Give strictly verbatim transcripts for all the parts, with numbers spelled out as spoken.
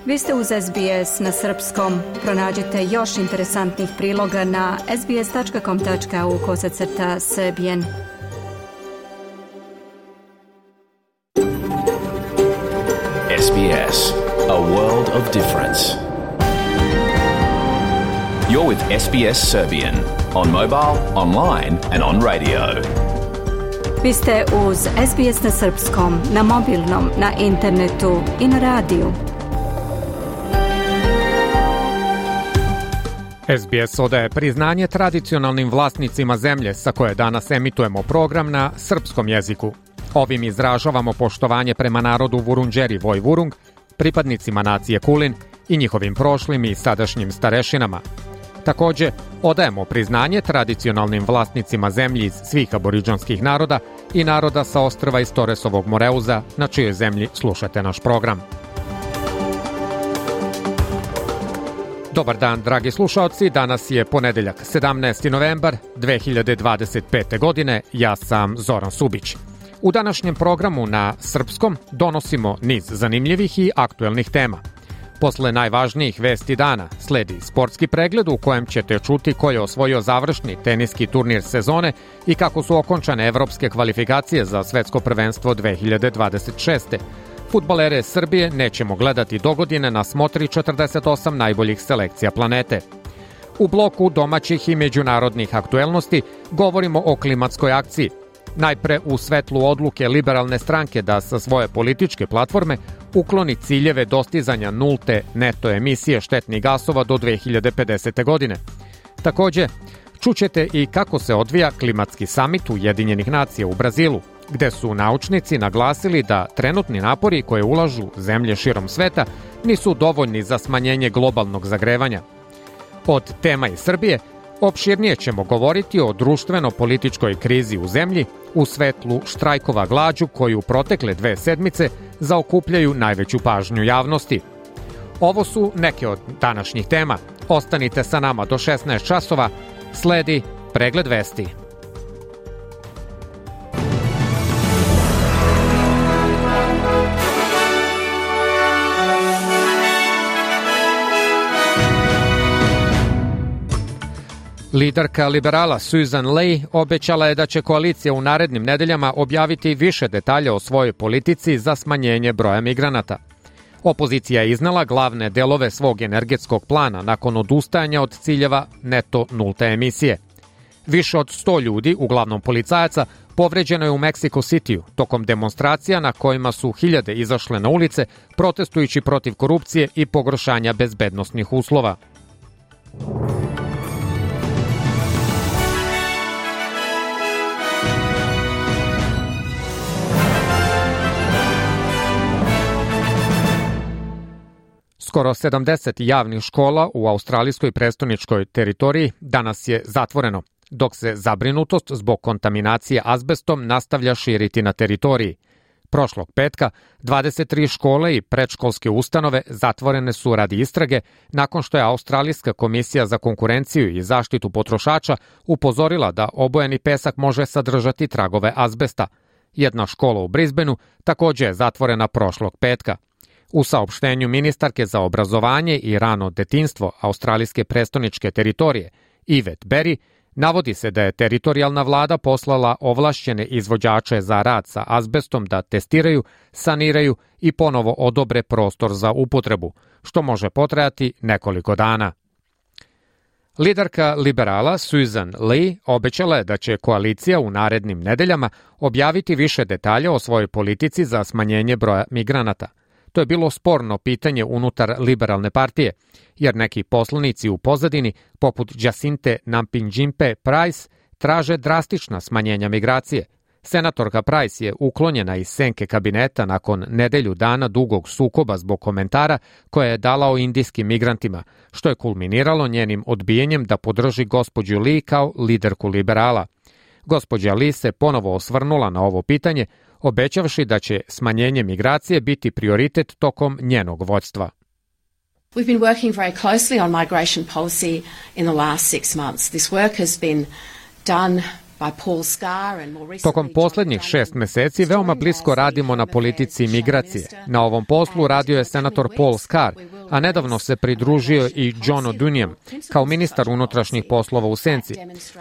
Vi ste uz S B S na srpskom. Pronađite još interesantnih priloga na sbs.com.au kosacrta srbijen. S B S, a world of difference. You're with S B S Serbian on mobile, online and on radio. Vi ste uz S B S na srpskom, na mobilnom, na internetu i na radiju. S B S odaje priznanje tradicionalnim vlasnicima zemlje sa koje danas emitujemo program na srpskom jeziku. Ovim izražavamo poštovanje prema narodu Vurundjeri Vojvurung, pripadnicima nacije Kulin i njihovim prošlim i sadašnjim starešinama. Takođe, odajemo priznanje tradicionalnim vlasnicima zemlji iz svih aboriđanskih naroda i naroda sa ostrva iz Toresovog Moreuza, na čijoj zemlji slušate naš program. Dobar dan, dragi slušaoci, danas je ponedeljak, sedamnaesti novembar dve hiljade dvadeset pete. godine, ja sam Zoran Subić. U današnjem programu na srpskom donosimo niz zanimljivih i aktuelnih tema. Posle najvažnijih vesti dana sledi sportski pregled u kojem ćete čuti ko je osvojio završni teniski turnir sezone i kako su okončane evropske kvalifikacije za svetsko prvenstvo dve hiljade dvadeset šeste. Fudbalere Srbije nećemo gledati dogodine na smotri četrdeset osam najboljih selekcija planete. U bloku domaćih i međunarodnih aktuelnosti govorimo o klimatskoj akciji. Najpre u svetlu odluke liberalne stranke da sa svoje političke platforme ukloni ciljeve dostizanja nulte neto emisije štetnih gasova do dve hiljade pedesete. godine. Takođe, čućete i kako se odvija klimatski samit Ujedinjenih nacija u Brazilu, gde su naučnici naglasili da trenutni napori koje ulažu zemlje širom sveta nisu dovoljni za smanjenje globalnog zagrevanja. Od tema iz Srbije opširnije ćemo govoriti o društveno-političkoj krizi u zemlji u svetlu štrajkova glađu koji u protekle dve sedmice zaokupljaju najveću pažnju javnosti. Ovo su neke od današnjih tema. Ostanite sa nama do šesnaest časova, sledi pregled vesti. Liderka liberala Susan Ley obećala je da će koalicija u narednim nedeljama objaviti više detalja o svojoj politici za smanjenje broja migranata. Opozicija je iznala glavne delove svog energetskog plana nakon odustajanja od ciljeva neto nulte emisije. Više od sto ljudi, uglavnom policajaca, povređeno je u Mexico Cityu tokom demonstracija na kojima su hiljade izašle na ulice protestujući protiv korupcije i pogoršanja bezbednosnih uslova. Skoro sedamdeset javnih škola u australijskoj prestoničkoj teritoriji danas je zatvoreno, dok se zabrinutost zbog kontaminacije azbestom nastavlja širiti na teritoriji. Prošlog petka dvadeset tri škole i predškolske ustanove zatvorene su radi istrage nakon što je Australijska komisija za konkurenciju i zaštitu potrošača upozorila da obojeni pesak može sadržati tragove azbesta. Jedna škola u Brisbaneu takođe je zatvorena prošlog petka. U saopštenju ministarke za obrazovanje i rano detinjstvo australijske prestoničke teritorije, Yvette Berry, navodi se da je teritorijalna vlada poslala ovlašćene izvođače za rad sa azbestom da testiraju, saniraju i ponovo odobre prostor za upotrebu, što može potrajati nekoliko dana. Liderka liberala Susan Ley obećala je da će koalicija u narednim nedeljama objaviti više detalja o svojoj politici za smanjenje broja migranata. To je bilo sporno pitanje unutar liberalne partije, jer neki poslanici u pozadini, poput Jacinte Nampijinpe Price, traže drastična smanjenja migracije. Senatorka Price je uklonjena iz senke kabineta nakon nedelju dana dugog sukoba zbog komentara koje je dala o indijskim migrantima, što je kulminiralo njenim odbijenjem da podrži gospođu Lee kao liderku liberala. Gospođa Lee se ponovo osvrnula na ovo pitanje, obećavši da će smanjenje migracije biti prioritet tokom njenog vođstva. We've been working very closely on migration policy in the last six months. This work has been done Tokom poslednjih šest meseci veoma blisko radimo na politici migracije. Na ovom poslu radio je senator Paul Scar, a nedavno se pridružio i John O'Duniam kao ministar unutrašnjih poslova u senci.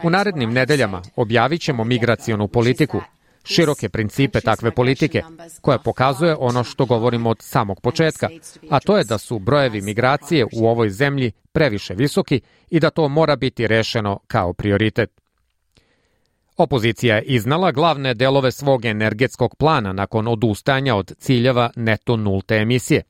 U narednim nedeljama objavit ćemo migracionu politiku, široke principe takve politike, koja pokazuje ono što govorimo od samog početka, a to je da su brojevi migracije u ovoj zemlji previše visoki i da to mora biti rešeno kao prioritet. Opozicija je iznala glavne delove svog energetskog plana nakon odustajanja od ciljeva neto nulte emisije.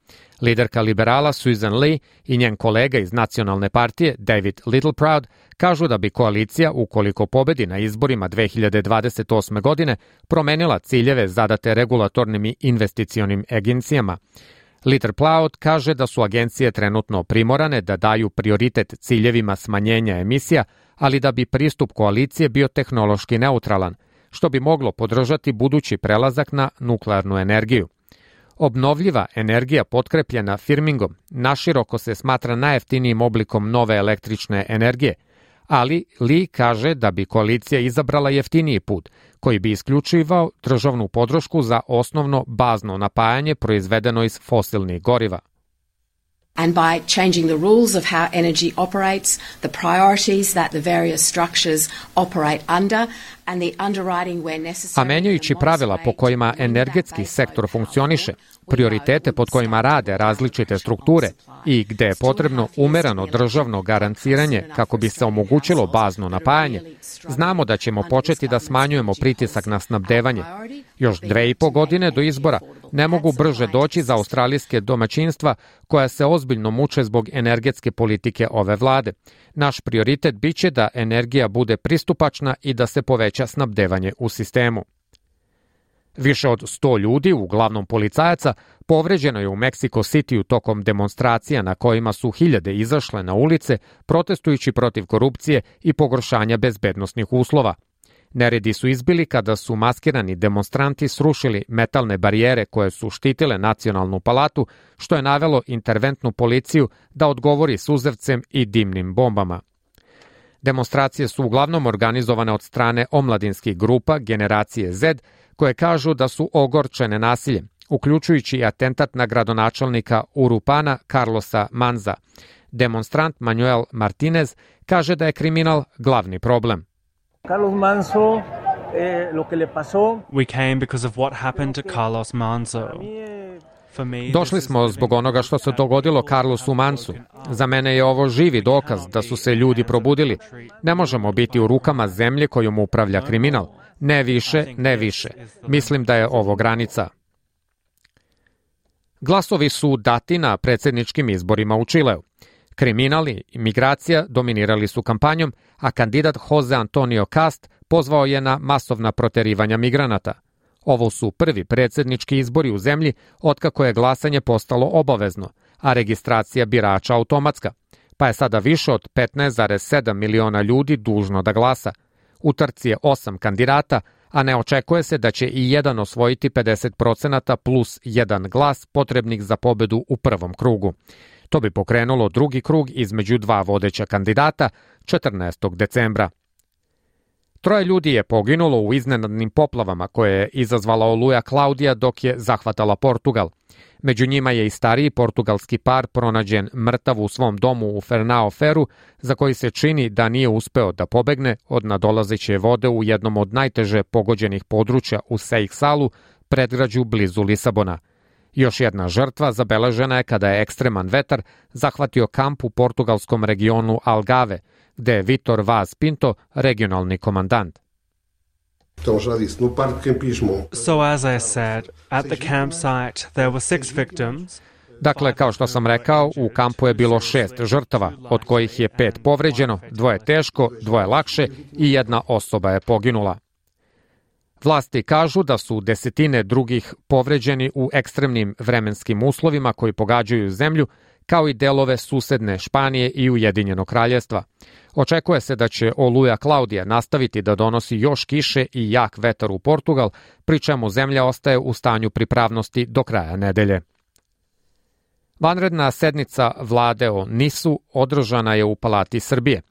Liderka liberala Susan Lee i njen kolega iz nacionalne partije David Littleproud kažu da bi koalicija, ukoliko pobedi na izborima dve hiljade dvadeset osme. godine, promenila ciljeve zadate regulatornim i investicionim agencijama. Littleproud kaže da su agencije trenutno primorane da daju prioritet ciljevima smanjenja emisija, ali da bi pristup koalicije bio tehnološki neutralan, što bi moglo podržati budući prelazak na nuklearnu energiju. Obnovljiva energija potkrepljena firmingom naširoko se smatra najjeftinijim oblikom nove električne energije, ali Lee kaže da bi koalicija izabrala jeftiniji put, koji bi isključivao državnu podršku za osnovno bazno napajanje proizvedeno iz fosilnih goriva. And by changing the rules of how energy operates, the priorities that the various structures operate under, and the underwriting where necessary. A menjajući pravila po kojima energetski sektor funkcioniše, prioritete pod kojima rade različite strukture i gde je potrebno umereno državno garanciranje kako bi se omogućilo bazno napajanje, znamo da ćemo početi da smanjujemo pritisak na snabdevanje. Još dve i po godine do izbora ne mogu brže doći za australijske domaćinstva koja se ozbiljno muče zbog energetske politike ove vlade. Naš prioritet biće da energija bude pristupačna i da se poveća snabdevanje u sistemu. Više od sto ljudi, uglavnom policajaca, povređeno je u Mexico Cityu tokom demonstracija na kojima su hiljade izašle na ulice protestujući protiv korupcije i pogoršanja bezbednosnih uslova. Neredi su izbili kada su maskirani demonstranti srušili metalne barijere koje su štitile Nacionalnu palatu, što je navelo interventnu policiju da odgovori suzavcem i dimnim bombama. Demonstracije su uglavnom organizovane od strane omladinskih grupa Generacije Z, koje kažu da su ogorčene nasiljem, uključujući i atentat na gradonačelnika Urupana Carlosa Manza. Demonstrant Manuel Martinez kaže da je kriminal glavni problem. Carlos Manzo, eh, lo que le pasó. We came because of what happened to Carlos Manzo. Došli smo zbog onoga što se dogodilo Carlosu Mansu. Za mene je ovo živi dokaz da su se ljudi probudili. Ne možemo biti u rukama zemlje kojom upravlja kriminal. Ne više, ne više. Mislim da je ovo granica. Glasovi su dati na predsjedničkim izborima u Čileu. Kriminal i migracija dominirali su kampanjom, a kandidat Jose Antonio Cast pozvao je na masovna proterivanja migranata. Ovo su prvi predsjednički izbori u zemlji otkako je glasanje postalo obavezno, a registracija birača automatska, pa je sada više od petnaest zarez sedam miliona ljudi dužno da glasa. U trci je osam kandidata, a ne očekuje se da će i jedan osvojiti pedeset procenata plus jedan glas potrebnih za pobedu u prvom krugu. To bi pokrenulo drugi krug između dva vodeća kandidata četrnaestog decembra. Troje ljudi je poginulo u iznenadnim poplavama koje je izazvala oluja Klaudija dok je zahvatala Portugal. Među njima je i stariji portugalski par pronađen mrtav u svom domu u Fernao Feru, za koji se čini da nije uspeo da pobegne od nadolazeće vode u jednom od najteže pogođenih područja u Seixalu, predgrađu blizu Lisabona. Još jedna žrtva zabeležena je kada je ekstreman vetar zahvatio kamp u portugalskom regionu Algarve, gde je Vitor Vaz Pinto regionalni komandant. So as I said, at the campsite there were six victims. Dakle, kao što sam rekao, u kampu je bilo šest žrtava, od kojih je pet povređeno, dvoje teško, dvoje lakše i jedna osoba je poginula. Vlasti kažu da su desetine drugih povređeni u ekstremnim vremenskim uslovima koji pogađaju zemlju, kao i delove susedne Španije i Ujedinjenog Kraljevstva. Očekuje se da će oluja Klaudija nastaviti da donosi još kiše i jak vetar u Portugal, pri čemu zemlja ostaje u stanju pripravnosti do kraja nedelje. Vanredna sednica vlade o Nisu održana je u Palati Srbije.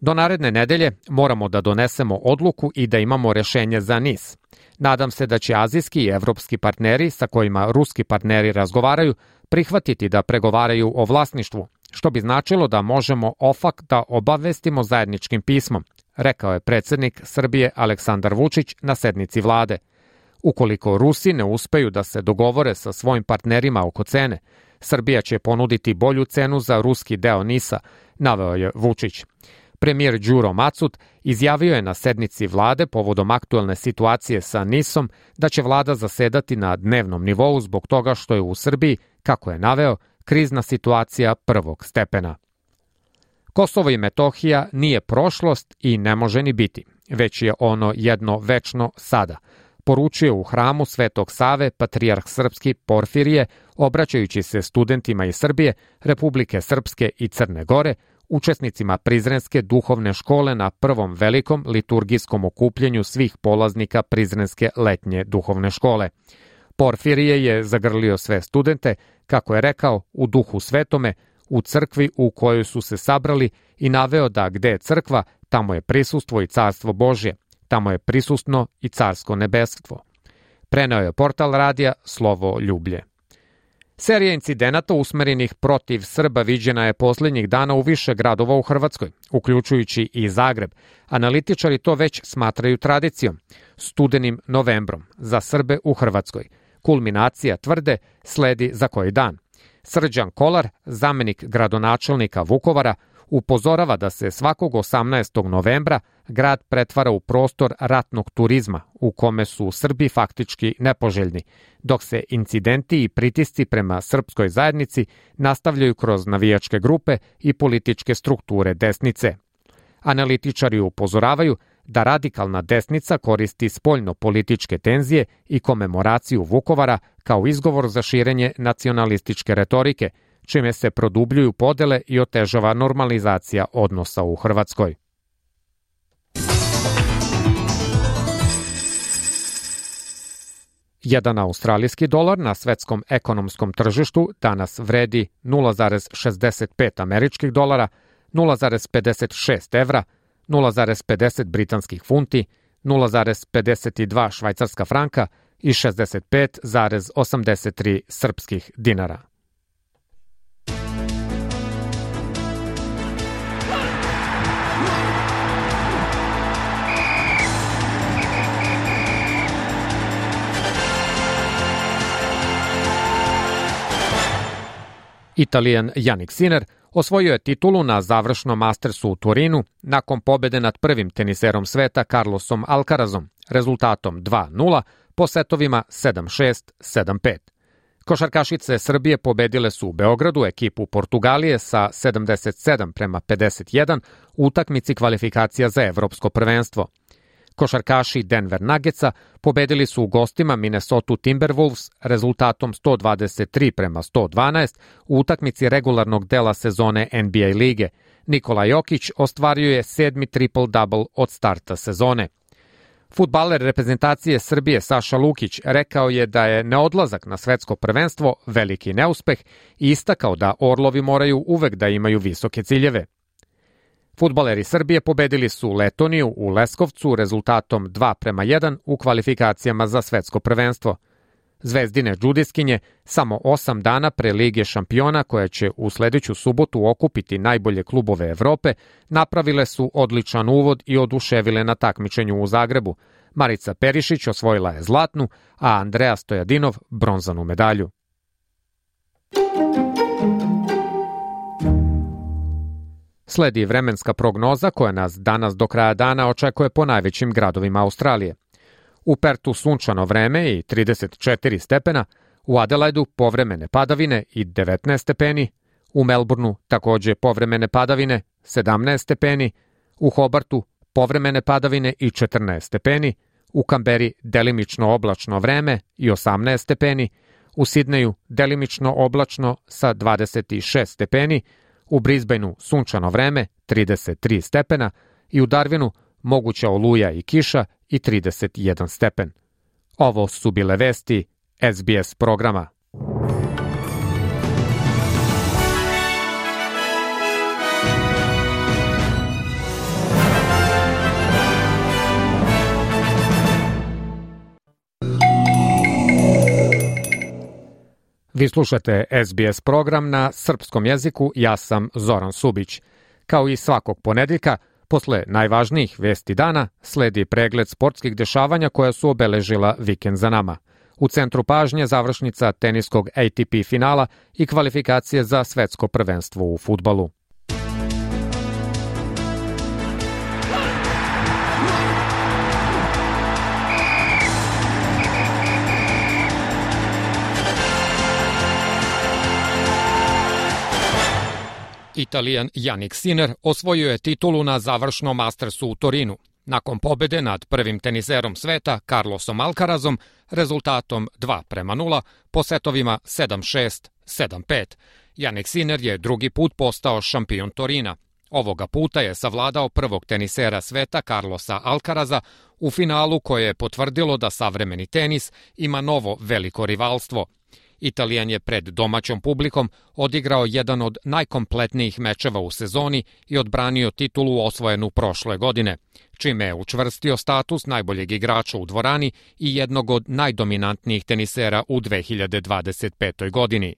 Do naredne nedelje moramo da donesemo odluku i da imamo rešenje za NIS. Nadam se da će azijski i evropski partneri sa kojima ruski partneri razgovaraju prihvatiti da pregovaraju o vlasništvu, što bi značilo da možemo OFAC da obavestimo zajedničkim pismom, rekao je predsednik Srbije Aleksandar Vučić na sednici vlade. Ukoliko Rusi ne uspeju da se dogovore sa svojim partnerima oko cene, Srbija će ponuditi bolju cenu za ruski deo NIS-a, naveo je Vučić. Premijer Đuro Macut izjavio je na sednici vlade povodom aktuelne situacije sa NIS-om da će vlada zasedati na dnevnom nivou zbog toga što je u Srbiji, kako je naveo, krizna situacija prvog stepena. Kosovo i Metohija nije prošlost i ne može ni biti, već je ono jedno večno sada, poručio u hramu Svetog Save patrijarh srpski Porfirije, obraćajući se studentima iz Srbije, Republike Srpske i Crne Gore, učesnicima Prizrenske duhovne škole na prvom velikom liturgijskom okupljenju svih polaznika Prizrenske letnje duhovne škole. Porfirije je zagrlio sve studente, kako je rekao, u duhu svetome, u crkvi u kojoj su se sabrali i naveo da gde je crkva, tamo je prisustvo i carstvo Božje, tamo je prisutno i carsko nebestvo. Preneo je portal radija Slovo Ljublje. Serija incidenata usmerenih protiv Srba viđena je poslednjih dana u više gradova u Hrvatskoj, uključujući i Zagreb. Analitičari to već smatraju tradicijom, studenim novembrom, za Srbe u Hrvatskoj. Kulminacija, tvrde, sledi za koji dan. Srđan Kolar, zamenik gradonačelnika Vukovara, upozorava da se svakog osamnaestog novembra grad pretvara u prostor ratnog turizma u kome su Srbi faktički nepoželjni, dok se incidenti i pritisci prema srpskoj zajednici nastavljaju kroz navijačke grupe i političke strukture desnice. Analitičari upozoravaju da radikalna desnica koristi spoljno-političke tenzije i komemoraciju Vukovara kao izgovor za širenje nacionalističke retorike, čime se produbljuju podele i otežava normalizacija odnosa u Hrvatskoj. Jedan australijski dolar na svetskom ekonomskom tržištu danas vredi nula zarez šezdeset pet američkih dolara, nula zarez pedeset šest evra, nula zarez pedeset britanskih funti, nula zarez pedeset dva švajcarska franka i šezdeset pet zarez osamdeset tri srpskih dinara. Italijan Jannik Sinner osvojio je titulu na završnom Mastersu u Turinu nakon pobede nad prvim teniserom sveta Carlosom Alcarazom, rezultatom dva nula po setovima sedam šest, sedam pet. Košarkašice Srbije pobedile su u Beogradu ekipu Portugalije sa sedamdeset sedam prema pedeset jedan u utakmici kvalifikacija za evropsko prvenstvo. Košarkaši Denver Nuggetsa pobedili su u gostima Minnesota Timberwolves rezultatom sto dvadeset tri prema sto dvanaest u utakmici regularnog dela sezone N B A lige. Nikola Jokić ostvario je sedmi triple-double od starta sezone. Fudbaler reprezentacije Srbije Saša Lukić rekao je da je neodlazak na svetsko prvenstvo veliki neuspeh i istakao da Orlovi moraju uvek da imaju visoke ciljeve. Fudbaleri Srbije pobedili su Letoniju u Leskovcu rezultatom dva prema jedan u kvalifikacijama za svetsko prvenstvo. Zvezdine džudiskinje samo osam dana pre Lige šampiona, koja će u sledeću subotu okupiti najbolje klubove Evrope, napravile su odličan uvod i oduševile na takmičenju u Zagrebu. Marica Perišić osvojila je zlatnu, a Andreja Stojadinov bronzanu medalju. Sledi vremenska prognoza koja nas danas do kraja dana očekuje po najvećim gradovima Australije. U Pertu sunčano vreme i trideset četiri stepena, u Adelaidu povremene padavine i devetnaest stepeni, u Melbourneu takođe povremene padavine sedamnaest stepeni, u Hobartu povremene padavine i četrnaest stepeni, u Kamberi delimično oblačno vreme i osamnaest stepeni, u Sidneju delimično oblačno sa dvadeset šest stepeni, u Brisbaneu sunčano vreme trideset tri stepena i u Darwinu moguća oluja i kiša i trideset jedan stepen. Ovo su bile vesti S B S programa. Vi slušate S B S program na srpskom jeziku, ja sam Zoran Subić. Kao i svakog ponedeljka, posle najvažnijih vesti dana, sledi pregled sportskih dešavanja koja su obeležila vikend za nama. U centru pažnje završnica teniskog A T P finala i kvalifikacije za svetsko prvenstvo u fudbalu. Italijan Jannik Sinner osvojio je titulu na završnom Mastersu u Torinu. Nakon pobede nad prvim teniserom sveta, Carlosom Alcarazom, rezultatom dva prema nula, po setovima sedam šest, sedam pet. Jannik Sinner je drugi put postao šampion Torina. Ovoga puta je savladao prvog tenisera sveta Carlosa Alcaraza u finalu koje je potvrdilo da savremeni tenis ima novo veliko rivalstvo. Italijan je pred domaćom publikom odigrao jedan od najkompletnijih mečeva u sezoni i odbranio titulu osvojenu prošle godine, čime je učvrstio status najboljeg igrača u dvorani i jednog od najdominantnijih tenisera u dve hiljade dvadeset petoj. godini.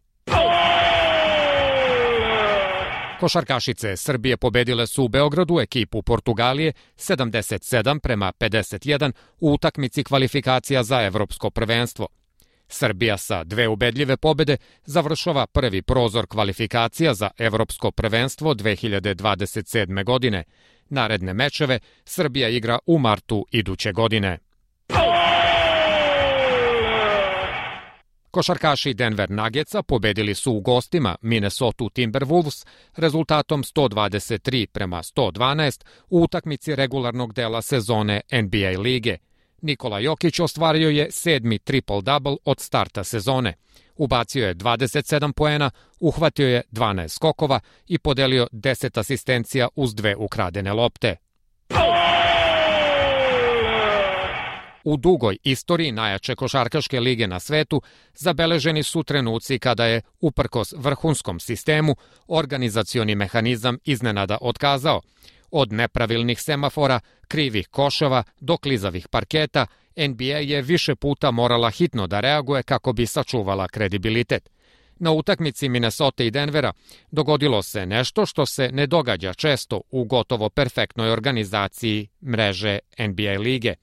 Košarkašice Srbije pobedile su u Beogradu ekipu Portugalije sedamdeset sedam prema pedeset jedan u utakmici kvalifikacija za evropsko prvenstvo. Srbija sa dve ubedljive pobede završava prvi prozor kvalifikacija za evropsko prvenstvo dve hiljade dvadeset sedme. godine. Naredne mečeve Srbija igra u martu iduće godine. Košarkaši Denver Nuggetsa pobedili su u gostima Minnesota Timberwolves rezultatom sto dvadeset tri prema sto dvanaest u utakmici regularnog dela sezone N B A lige. Nikola Jokić ostvario je sedmi triple-double od starta sezone. Ubacio je dvadeset sedam poena, uhvatio je dvanaest skokova i podelio deset asistencija uz dve ukradene lopte. U dugoj istoriji najjače košarkaške lige na svetu zabeleženi su trenuci kada je, uprkos vrhunskom sistemu, organizacioni mehanizam iznenada otkazao. Od nepravilnih semafora, krivih koševa do klizavih parketa, N B A je više puta morala hitno da reaguje kako bi sačuvala kredibilitet. Na utakmici Minnesota i Denvera dogodilo se nešto što se ne događa često u gotovo perfektnoj organizaciji mreže N B A lige.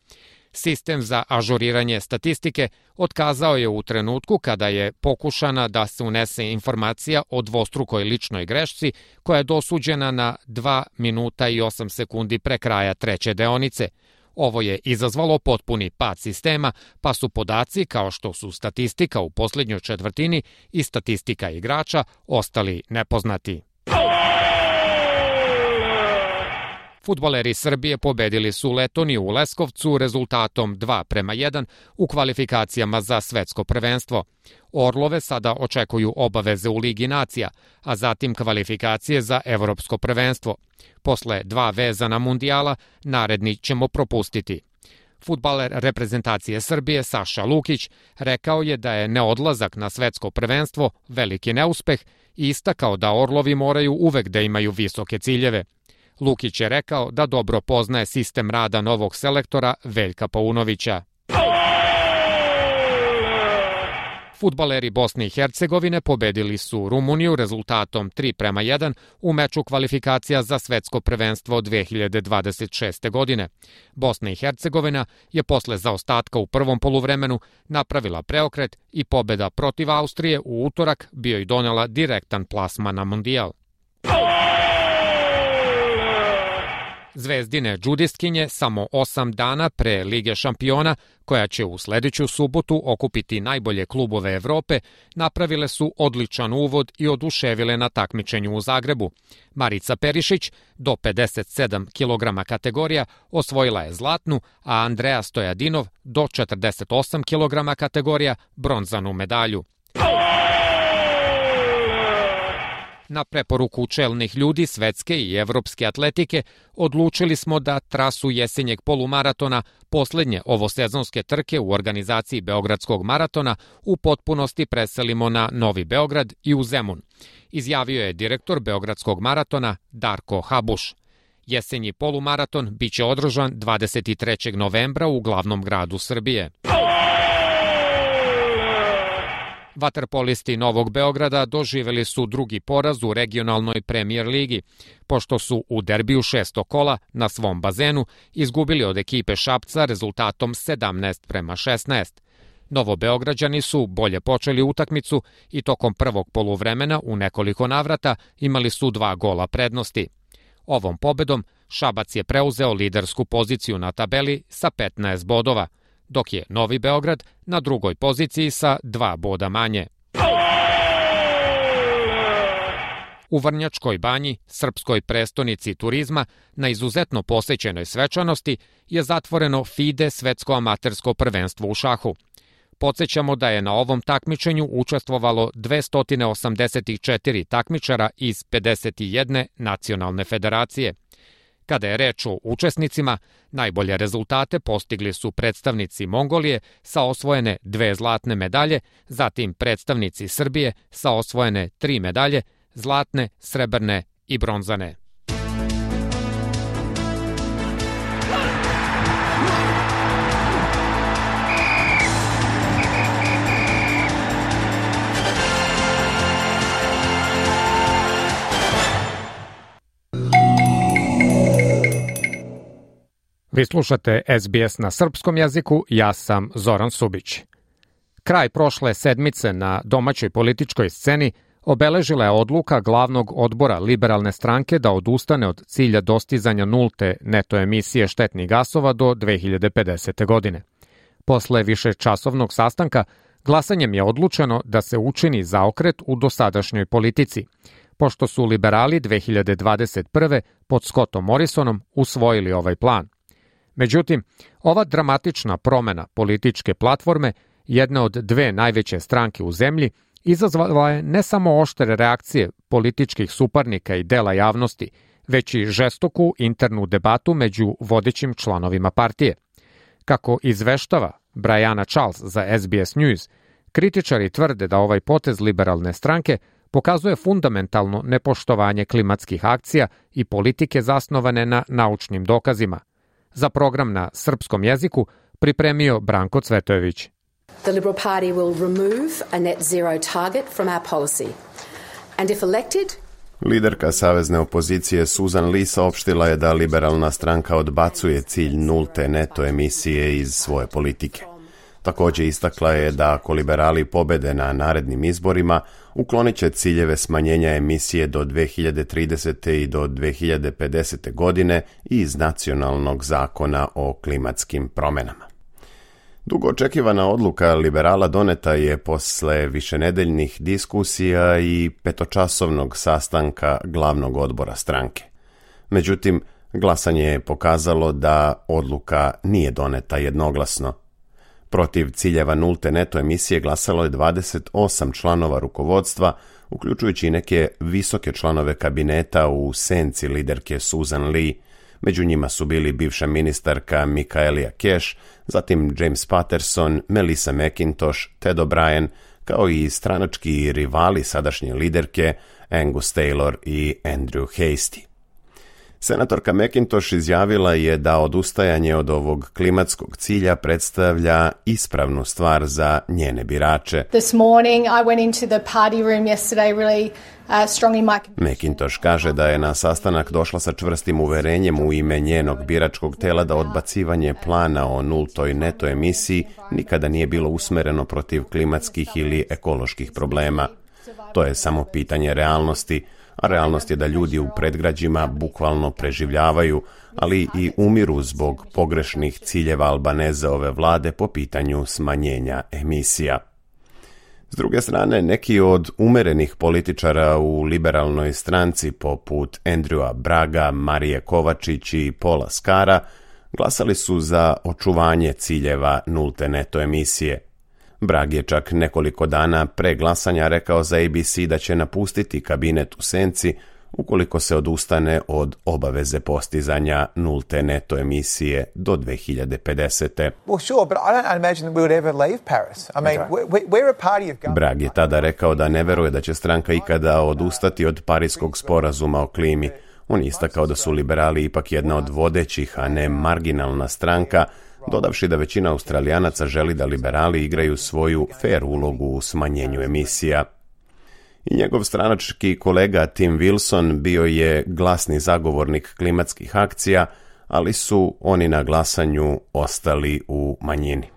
Sistem za ažuriranje statistike otkazao je u trenutku kada je pokušana da se unese informacija o dvostrukoj ličnoj grešci koja je dosuđena na dva minuta i osam sekundi pre kraja treće deonice. Ovo je izazvalo potpuni pad sistema, pa su podaci kao što su statistika u posljednjoj četvrtini i statistika igrača ostali nepoznati. Fudbaleri Srbije pobedili su Letoniju u Leskovcu rezultatom dva prema jedan u kvalifikacijama za svetsko prvenstvo. Orlove sada očekuju obaveze u Ligi nacija, a zatim kvalifikacije za evropsko prvenstvo. Posle dva vezana mundijala, naredni ćemo propustiti. Fudbaler reprezentacije Srbije Saša Lukić rekao je da je neodlazak na svetsko prvenstvo veliki neuspeh i istakao da Orlovi moraju uvek da imaju visoke ciljeve. Lukić je rekao da dobro poznaje sistem rada novog selektora Veljka Paunovića. Fudbaleri Bosne i Hercegovine pobedili su Rumuniju rezultatom tri prema jedan u meču kvalifikacija za svetsko prvenstvo dve hiljade dvadeset šeste. godine. Bosna i Hercegovina je posle zaostatka u prvom poluvremenu napravila preokret i pobeda protiv Austrije u utorak bio i donela direktan plasman na mundijal. Zvezdine džudistkinje samo osam dana pre Lige šampiona, koja će u sledeću subotu okupiti najbolje klubove Evrope, napravile su odličan uvod i oduševile na takmičenju u Zagrebu. Marica Perišić, do pedeset sedam kilograma kategorija, osvojila je zlatnu, a Andreja Stojadinov, do četrdeset osam kilograma kategorija, bronzanu medalju. Na preporuku čelnih ljudi svetske i evropske atletike odlučili smo da trasu jesenjeg polumaratona, poslednje ovosezonske trke u organizaciji Beogradskog maratona, u potpunosti preselimo na Novi Beograd i u Zemun, izjavio je direktor Beogradskog maratona Darko Habuš. Jesenji polumaraton biće održan dvadeset trećeg novembra u glavnom gradu Srbije. Vaterpolisti Novog Beograda doživeli su drugi poraz u regionalnoj premijer ligi, pošto su u derbiju šestog kola na svom bazenu izgubili od ekipe Šapca rezultatom sedamnaest prema šesnaest. Novobeograđani su bolje počeli utakmicu i tokom prvog poluvremena u nekoliko navrata imali su dva gola prednosti. Ovom pobedom Šabac je preuzeo lidersku poziciju na tabeli sa petnaest bodova, dok je Novi Beograd na drugoj poziciji sa dva boda manje. U Vrnjačkoj Banji, srpskoj prestonici turizma, na izuzetno posećenoj svečanosti je zatvoreno FIDE svetsko amatersko prvenstvo u šahu. Podsjećamo da je na ovom takmičenju učestvovalo dvesta osamdeset četiri takmičara iz pedeset jedne nacionalne federacije. Kada je reč o učesnicima, najbolje rezultate postigli su predstavnici Mongolije sa osvojene dve zlatne medalje, zatim predstavnici Srbije sa osvojene tri medalje, zlatne, srebrne i bronzane. Vi slušate S B S na srpskom jeziku, ja sam Zoran Subić. Kraj prošle sedmice na domaćoj političkoj sceni obeležila je odluka glavnog odbora liberalne stranke da odustane od cilja dostizanja nulte neto emisije štetnih gasova do dve hiljade pedesete. godine. Posle višečasovnog sastanka, glasanjem je odlučeno da se učini zaokret u dosadašnjoj politici, pošto su liberali dve hiljade dvadeset prve pod Scottom Morrisonom usvojili ovaj plan. Međutim, ova dramatična promena političke platforme, jedne od dve najveće stranke u zemlji, izazvala je ne samo oštre reakcije političkih suparnika i dela javnosti, već i žestoku internu debatu među vodećim članovima partije. Kako izveštava Brianna Charles za S B S News, kritičari tvrde da ovaj potez liberalne stranke pokazuje fundamentalno nepoštovanje klimatskih akcija i politike zasnovane na naučnim dokazima. Za program na srpskom jeziku pripremio Branko Cvetojević. The Liberal Party will remove a net zero target from our policy. And if elected, liderka savezne opozicije Susan Lee saopštila je da liberalna stranka odbacuje cilj nulte neto emisije iz svoje politike. Također istakla je da ako liberali pobede na narednim izborima, uklonit će ciljeve smanjenja emisije do dve hiljade tridesete. i do dve hiljade pedesete. godine iz nacionalnog zakona o klimatskim promjenama. Dugo očekivana odluka liberala doneta je posle višenedeljnih diskusija i petočasovnog sastanka glavnog odbora stranke. Međutim, glasanje je pokazalo da odluka nije doneta jednoglasno. Protiv ciljeva nulte neto emisije glasalo je dvadeset osam članova rukovodstva, uključujući i neke visoke članove kabineta u senci liderke Susan Lee. Među njima su bili bivša ministarka Michaelia Cash, zatim James Patterson, Melissa McIntosh, Ted O'Brien, kao i stranački rivali sadašnje liderke Angus Taylor i Andrew Hastie. Senatorka McIntosh izjavila je da odustajanje od ovog klimatskog cilja predstavlja ispravnu stvar za njene birače. This morning I went into the party room yesterday really uh, strong in my... McIntosh kaže da je na sastanak došla sa čvrstim uverenjem u ime njenog biračkog tela da odbacivanje plana o nultoj neto emisiji nikada nije bilo usmereno protiv klimatskih ili ekoloških problema. To je samo pitanje realnosti, a realnost je da ljudi u predgrađima bukvalno preživljavaju, ali i umiru zbog pogrešnih ciljeva Albanezeove vlade po pitanju smanjenja emisija. S druge strane, neki od umerenih političara u liberalnoj stranci poput Andrewa Bragga, Marije Kovačić i Paula Skara glasali su za očuvanje ciljeva nulte neto emisije. Bragg je čak nekoliko dana pre glasanja rekao za A B C da će napustiti kabinet u senci ukoliko se odustane od obaveze postizanja nulte neto emisije do dve hiljade pedesete. Bragg je tada rekao da ne veruje da će stranka ikada odustati od Pariskog sporazuma o klimi. On je istakao da su liberali ipak jedna od vodećih, a ne marginalna stranka, dodavši da većina Australijanaca želi da liberali igraju svoju fer ulogu u smanjenju emisija. I njegov stranački kolega Tim Wilson bio je glasni zagovornik klimatskih akcija, ali su oni na glasanju ostali u manjini.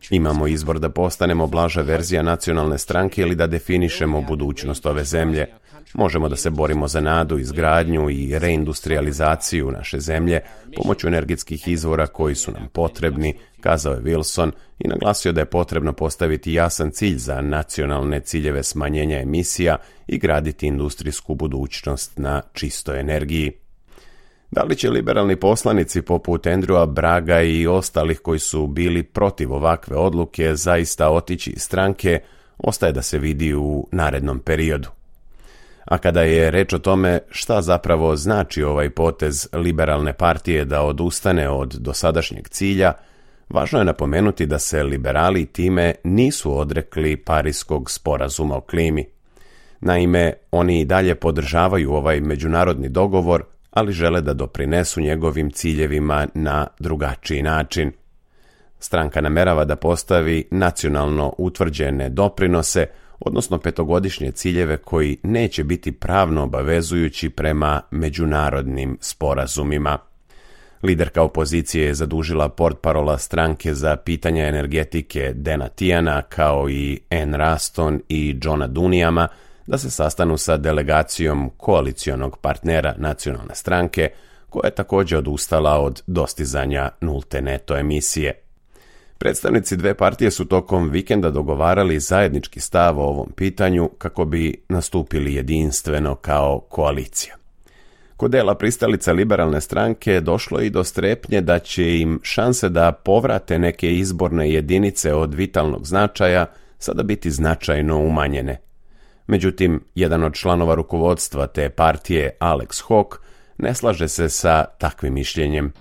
Imamo izbor da postanemo blaža verzija nacionalne stranke ili da definišemo budućnost ove zemlje. Možemo da se borimo za nadu, izgradnju i reindustrializaciju naše zemlje pomoću energetskih izvora koji su nam potrebni, kazao je Wilson i naglasio da je potrebno postaviti jasan cilj za nacionalne ciljeve smanjenja emisija i graditi industrijsku budućnost na čistoj energiji. Da li će liberalni poslanici poput Andrewa Bragga i ostalih koji su bili protiv ovakve odluke zaista otići iz stranke, ostaje da se vidi u narednom periodu. A kada je reč o tome šta zapravo znači ovaj potez liberalne partije da odustane od dosadašnjeg cilja, važno je napomenuti da se liberali time nisu odrekli Pariskog sporazuma o klimi. Naime, oni i dalje podržavaju ovaj međunarodni dogovor, ali žele da doprinesu njegovim ciljevima na drugačiji način. Stranka namerava da postavi nacionalno utvrđene doprinose, odnosno petogodišnje ciljeve koji neće biti pravno obavezujući prema međunarodnim sporazumima. Liderka opozicije je zadužila portparola stranke za pitanja energetike Dana Tiana, kao i Ann Ruston i Johna Dunijama, da se sastanu sa delegacijom koalicionog partnera nacionalne stranke, koja je također odustala od dostizanja nulte neto emisije. Predstavnici dve partije su tokom vikenda dogovarali zajednički stav o ovom pitanju kako bi nastupili jedinstveno kao koalicija. Kod dela pristalica liberalne stranke došlo je i do strepnje da će im šanse da povrate neke izborne jedinice od vitalnog značaja sada biti značajno umanjene. Međutim, jedan od članova rukovodstva te partije, Alex Hawke, ne slaže se sa takvim mišljenjem.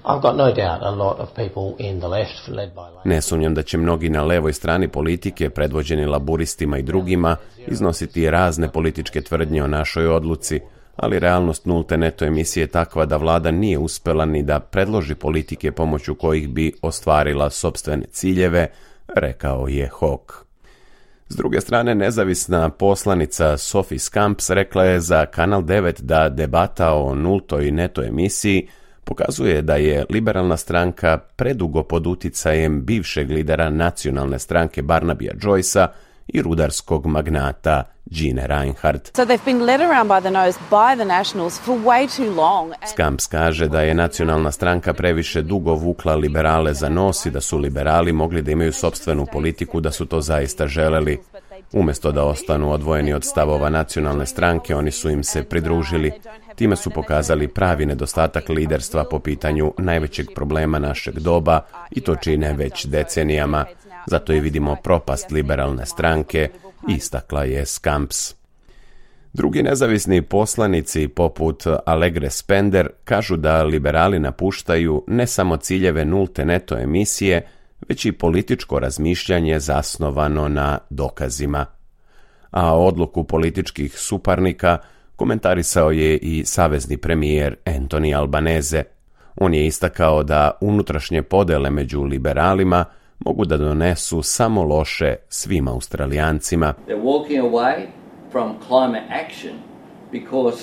Ne sumnjam da će mnogi na levoj strani politike, predvođeni laburistima i drugima, iznositi razne političke tvrdnje o našoj odluci, ali realnost nulte neto emisije je takva da vlada nije uspela ni da predloži politike pomoću kojih bi ostvarila sopstvene ciljeve, rekao je Hawke. S druge strane, nezavisna poslanica Sophie Scamps rekla je za Kanal devet da debata o nultoj neto emisiji pokazuje da je liberalna stranka predugo pod uticajem bivšeg lidera nacionalne stranke Barnabya Joycea i rudarskog magnata Gene Reinhardt. So they've been led around by the nose by the Nationals for way too long. Scamps kaže da je nacionalna stranka previše dugo vukla liberale za nos i da su liberali mogli da imaju sopstvenu politiku da su to zaista želeli. Umjesto da ostanu odvojeni od stavova nacionalne stranke, oni su im se pridružili. Time su pokazali pravi nedostatak liderstva po pitanju najvećeg problema našeg doba i to čine već decenijama. Zato i vidimo propast liberalne stranke, istakla je Scamps. Drugi nezavisni poslanici poput Alegre Spender kažu da liberali napuštaju ne samo ciljeve nulte neto emisije, već i političko razmišljanje zasnovano na dokazima. A odluku političkih suparnika komentarisao je i savezni premijer Anthony Albanese. On je istakao da unutrašnje podele među liberalima mogu da donesu samo loše svim Australijancima. They're walking away from climate action because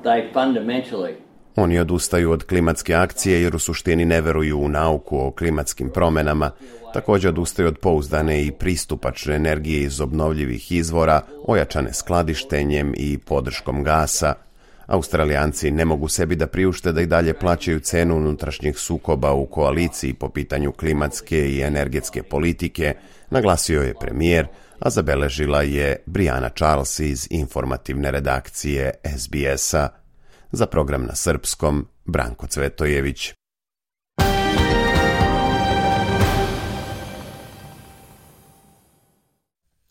they fundamentally Oni odustaju od klimatske akcije jer u suštini ne veruju u nauku o klimatskim promjenama. Također odustaju od pouzdane i pristupačne energije iz obnovljivih izvora, ojačane skladištenjem i podrškom gasa. Australijanci ne mogu sebi da priušte da i dalje plaćaju cenu unutrašnjih sukoba u koaliciji po pitanju klimatske i energetske politike, naglasio je premijer, a zabeležila je Briana Charles iz informativne redakcije S B S-a. Za program na srpskom, Branko Cvetojević.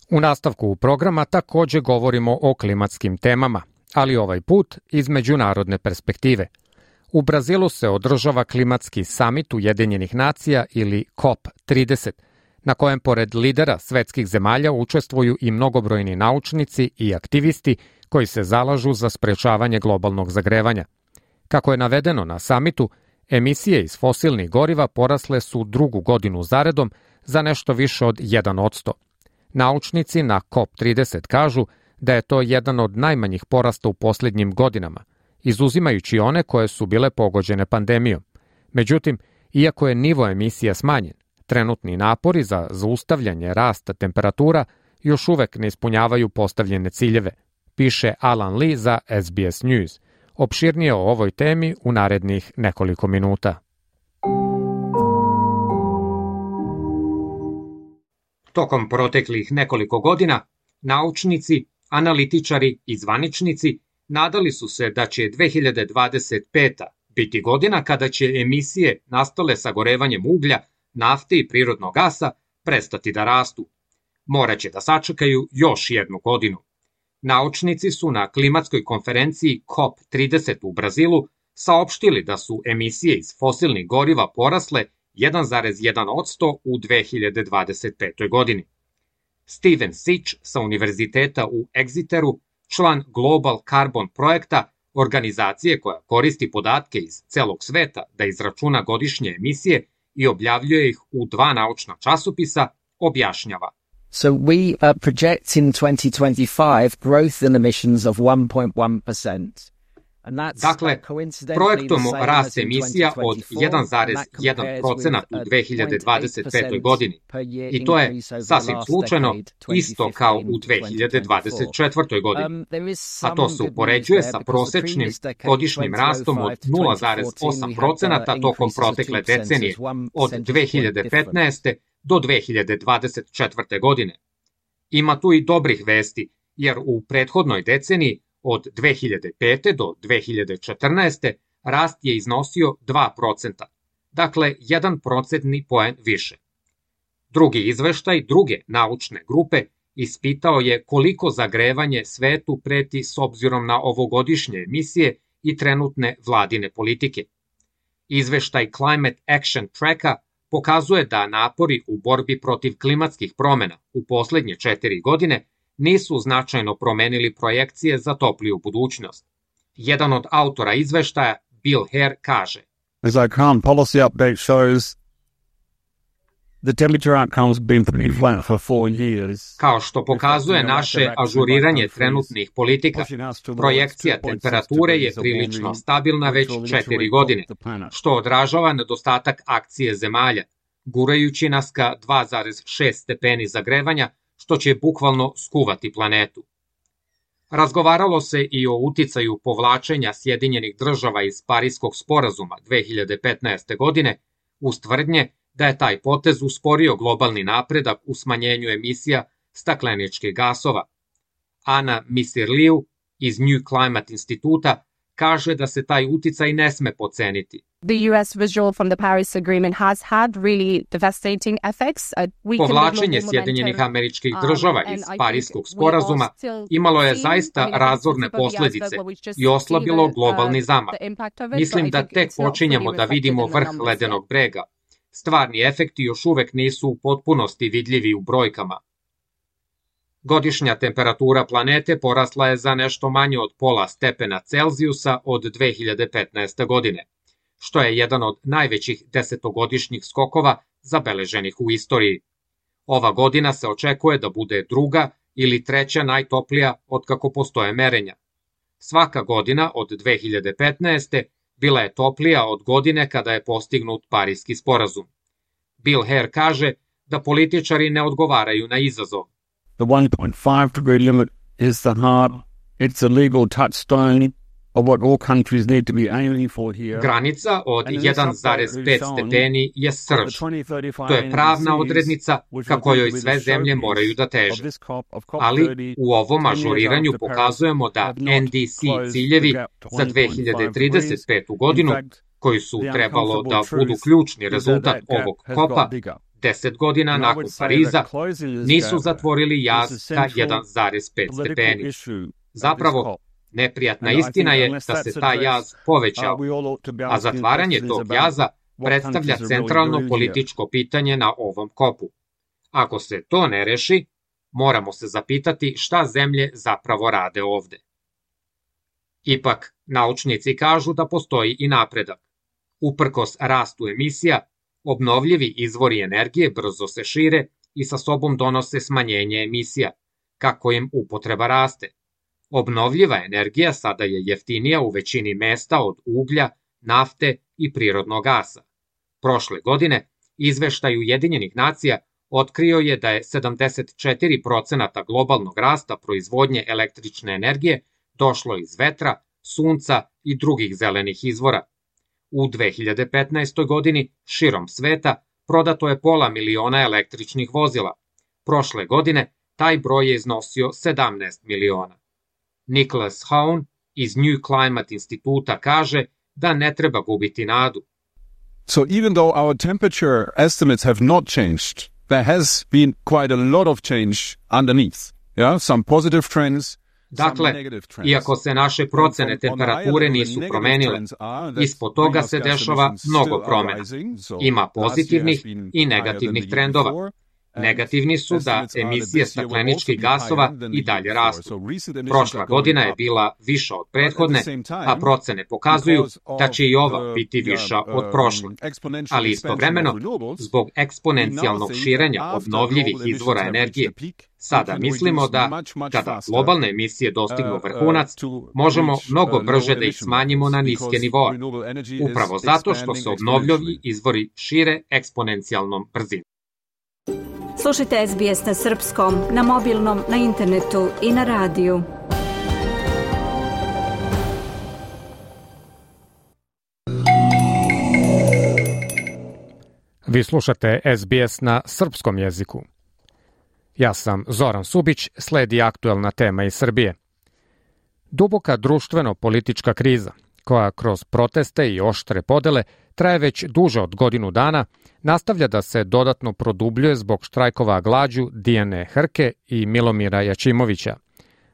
U nastavku programa također govorimo o klimatskim temama, ali ovaj put iz međunarodne perspektive. U Brazilu se održava klimatski samit Ujedinjenih nacija ili C O P trideset, na kojem pored lidera svetskih zemalja učestvuju i mnogobrojni naučnici i aktivisti koji se zalažu za sprečavanje globalnog zagrevanja. Kako je navedeno na samitu, emisije iz fosilnih goriva porasle su drugu godinu zaredom za nešto više od jedan posto. Naučnici na C O P trideset kažu da je to jedan od najmanjih porasta u posljednjim godinama, izuzimajući one koje su bile pogođene pandemijom. Međutim, iako je nivo emisija smanjen, trenutni napori za zaustavljanje rasta temperatura još uvek ne ispunjavaju postavljene ciljeve, piše Alan Lee za S B S News. Opširnije o ovoj temi u narednih nekoliko minuta. Tokom proteklih nekoliko godina, naučnici, analitičari i zvaničnici nadali su se da će dve hiljade dvadeset peta biti godina kada će emisije nastale sagorevanjem uglja, nafte i prirodnog gasa prestati da rastu. Moraće da sačekaju još jednu godinu. Naučnici su na klimatskoj konferenciji C O P trideset u Brazilu saopštili da su emisije iz fosilnih goriva porasle jedan zarez jedan posto u dve hiljade dvadeset petoj godini. Steven Sitch sa univerziteta u Exeteru, član Global Carbon projekta, organizacije koja koristi podatke iz celog sveta da izračuna godišnje emisije i objavljuje ih u dva naučna časopisa, objašnjava. So we uh, project in twenty twenty-five growth in emissions of one point one percent. Dakle, projektujemo rast emisija od jedan zarez jedan procenat u dve hiljade dvadeset petoj godini i to je sasvim slučajno isto kao u dve hiljade dvadeset četvrtoj godini, a to se upoređuje sa prosečnim godišnjim rastom od nula zarez osam procenata tokom protekle decenije od dve hiljade petnaeste do dve hiljade dvadeset četvrte godine. Ima tu i dobrih vesti, jer u prethodnoj deceniji od dve hiljade pete do dve hiljade četrnaeste rast je iznosio dva procenta, dakle jedan procentni poen više. Drugi izveštaj druge naučne grupe ispitao je koliko zagrevanje svetu preti s obzirom na ovogodišnje emisije i trenutne vladine politike. Izveštaj Climate Action Tracka pokazuje da napori u borbi protiv klimatskih promena u poslednje četiri godine nisu značajno promenili projekcije za topliju budućnost. Jedan od autora izveštaja, Bill Hare, kaže: As our current policy update shows, the temperature outcomes been pretty flat for four years. Kao što pokazuje naše ažuriranje trenutnih politika, projekcija temperature je prilično stabilna već četiri godine, što odražava nedostatak akcije zemalja, gurajući nas ka dva zarez šest stepeni zagrevanja, što će bukvalno skuvati planetu. Razgovaralo se i o uticaju povlačenja Sjedinjenih država iz Pariskog sporazuma dve hiljade petnaeste. godine, uz tvrdnje da je taj potez usporio globalni napredak u smanjenju emisija stakleničkih gasova. Ana Misirliu iz New Climate instituta kaže da se taj uticaj ne sme poceniti. The U S withdrawal from the Paris Agreement has had really devastating effects. Povlačenje Sjedinjenih Američkih Država iz Pariskog sporazuma imalo je zaista razorne posledice i oslabilo globalni zamah. Mislim da tek počinjemo da vidimo vrh ledenog brega. Stvarni efekti još uvek nisu u potpunosti vidljivi u brojkama. Godišnja temperatura planete porasla je za nešto manje od pola stepena Celzijusa od dve hiljade petnaeste. godine, što je jedan od najvećih desetogodišnjih skokova zabeleženih u istoriji. Ova godina se očekuje da bude druga ili treća najtoplija otkako postoje merenja. Svaka godina od dve hiljade petnaeste. bila je toplija od godine kada je postignut Pariski sporazum. Bill Hare kaže da političari ne odgovaraju na izazov. The one point five degree limit is the heart. It's a legal touchstone of what all countries need to be aiming for here. Granica od jedan zarez pet stepeni je srž. To je pravna odrednica ka kojoj sve zemlje moraju da teže. Ali u ovom ažuriranju pokazujemo da N D C ciljevi za dve hiljade trideset petu. godinu, koji su trebalo da budu ključni rezultat ovog kopa, deset godina nakon Pariza, nisu zatvorili jaz ka jedan zarez pet stepeni. Zapravo, neprijatna istina je da se taj jaz povećao, a zatvaranje tog jaza predstavlja centralno političko pitanje na ovom kopu. Ako se to ne reši, moramo se zapitati šta zemlje zapravo rade ovde. Ipak, Naučnici kažu da postoji i napredak. Uprkos rastu emisija, obnovljivi izvori energije brzo se šire i sa sobom donose smanjenje emisija, kako im upotreba raste. Obnovljiva energija sada je jeftinija u većini mesta od uglja, nafte i prirodnog gasa. Prošle godine, izveštaj Ujedinjenih nacija otkrio je da je sedamdeset četiri posto globalnog rasta proizvodnje električne energije došlo iz vetra, sunca i drugih zelenih izvora. U dve hiljade petnaestoj. godini širom sveta prodato je pola miliona električnih vozila. Prošle godine taj broj je iznosio sedamnaest miliona. Nicholas Haun iz New Climate instituta kaže da ne treba gubiti nadu. So even though our temperature estimates have not changed, there has been quite a lot of change underneath. Yeah, some positive trends. Dakle, iako se naše procene temperature nisu promenile, ispod toga se dešava mnogo promjena. Ima pozitivnih i negativnih trendova. Negativni su da emisije stakleničkih gasova i dalje rastu. Prošla godina je bila viša od prethodne, a procene pokazuju da će i ova biti viša od prošle. Ali istovremeno, zbog eksponencijalnog širenja obnovljivih izvora energije, sada mislimo da, kada globalne emisije dostignu vrhunac, možemo mnogo brže da ih smanjimo na niske nivoe, upravo zato što se obnovljivi izvori šire eksponencijalnom brzinom. Slušajte S B S na srpskom, na mobilnom, na internetu i na radiju. Vi slušate S B S na srpskom jeziku. Ja sam Zoran Subić, sledi aktuelna tema iz Srbije. Duboka društveno-politička kriza, koja kroz proteste i oštre podele traje već duže od godinu dana, nastavlja da se dodatno produbljuje zbog štrajkova glađu Dijane Hrke i Milomira Jačimovića.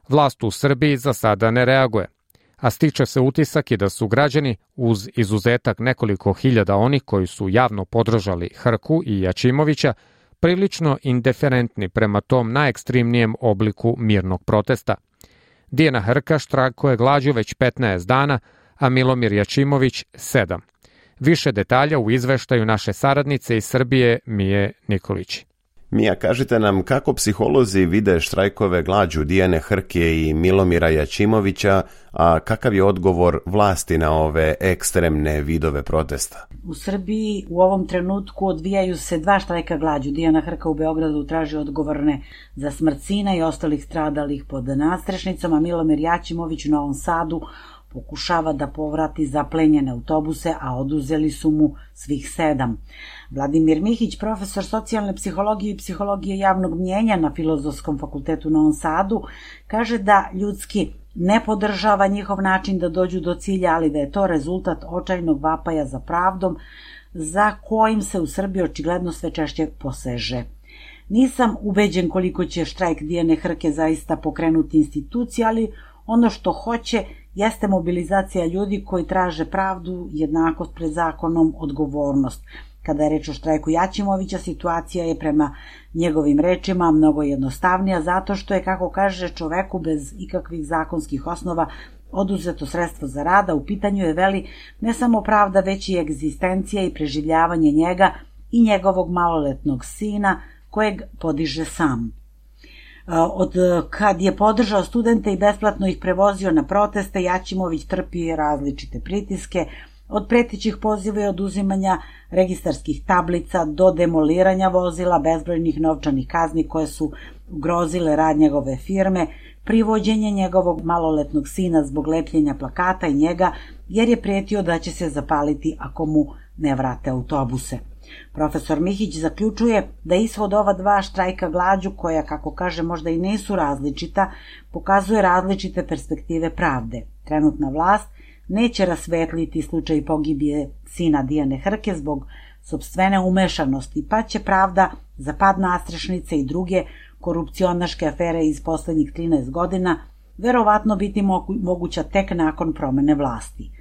Vlast u Srbiji za sada ne reaguje, a stiče se utisak i da su građani, uz izuzetak nekoliko hiljada onih koji su javno podržali Hrku i Jačimovića, prilično indiferentni prema tom najekstremnijem obliku mirnog protesta. Dijana Hrka štrajkuje glađu već petnaest dana, a Milomir Jačimović sedam. Više detalja u izveštaju naše saradnice iz Srbije Mije Nikolić. Mija, kažite nam kako psiholozi vide štrajkove glađu Dijane Hrke i Milomira Jačimovića, a kakav je odgovor vlasti na ove ekstremne vidove protesta? U Srbiji u ovom trenutku odvijaju se dva štrajka glađu. Dijana Hrka u Beogradu traži odgovorne za smrt sina i ostalih stradalih pod nadstrešnicom, a Milomir Jačimović u Novom Sadu pokušava da povrati zaplenjene autobuse, a oduzeli su mu svih sedam. Vladimir Mihić, profesor socijalne psihologije i psihologije javnog mnjenja na Filozofskom fakultetu u Novom Sadu, kaže da ljudski ne podržava njihov način da dođu do cilja, ali da je to rezultat očajnog vapaja za pravdom, za kojim se u Srbiji očigledno sve češće poseže. Nisam ubeđen koliko će štrajk Dijane Hrke zaista pokrenuti institucije, ali ono što hoće jeste mobilizacija ljudi koji traže pravdu, jednakost pred zakonom, odgovornost. Kada je reč o štrajku Jačimovića, situacija je prema njegovim rečima mnogo jednostavnija, zato što je, kako kaže, čoveku bez ikakvih zakonskih osnova oduzeto sredstvo za rada. U pitanju je, veli, ne samo pravda, već i egzistencija i preživljavanje njega i njegovog maloletnog sina, kojeg podiže sam. Od kad je podržao studente i besplatno ih prevozio na proteste, Jačimović trpi različite pritiske, od pretećih poziva i oduzimanja registarskih tablica do demoliranja vozila, bezbrojnih novčanih kazni koje su ugrozile rad njegove firme, privođenje njegovog maloletnog sina zbog lepljenja plakata i njega, jer je prijetio da će se zapaliti ako mu ne vrate autobuse. Profesor Mihić zaključuje da ishod ova dva štrajka glađu, koja, kako kaže, možda i nisu različita, pokazuje različite perspektive pravde. Trenutna vlast neće rasvetliti slučaj pogibije sina Dijane Hrke zbog sopstvene umešanosti, pa će pravda za pad nadstrešnice i druge korupcionaške afere iz poslednjih trinaest godina verovatno biti moguća tek nakon promene vlasti.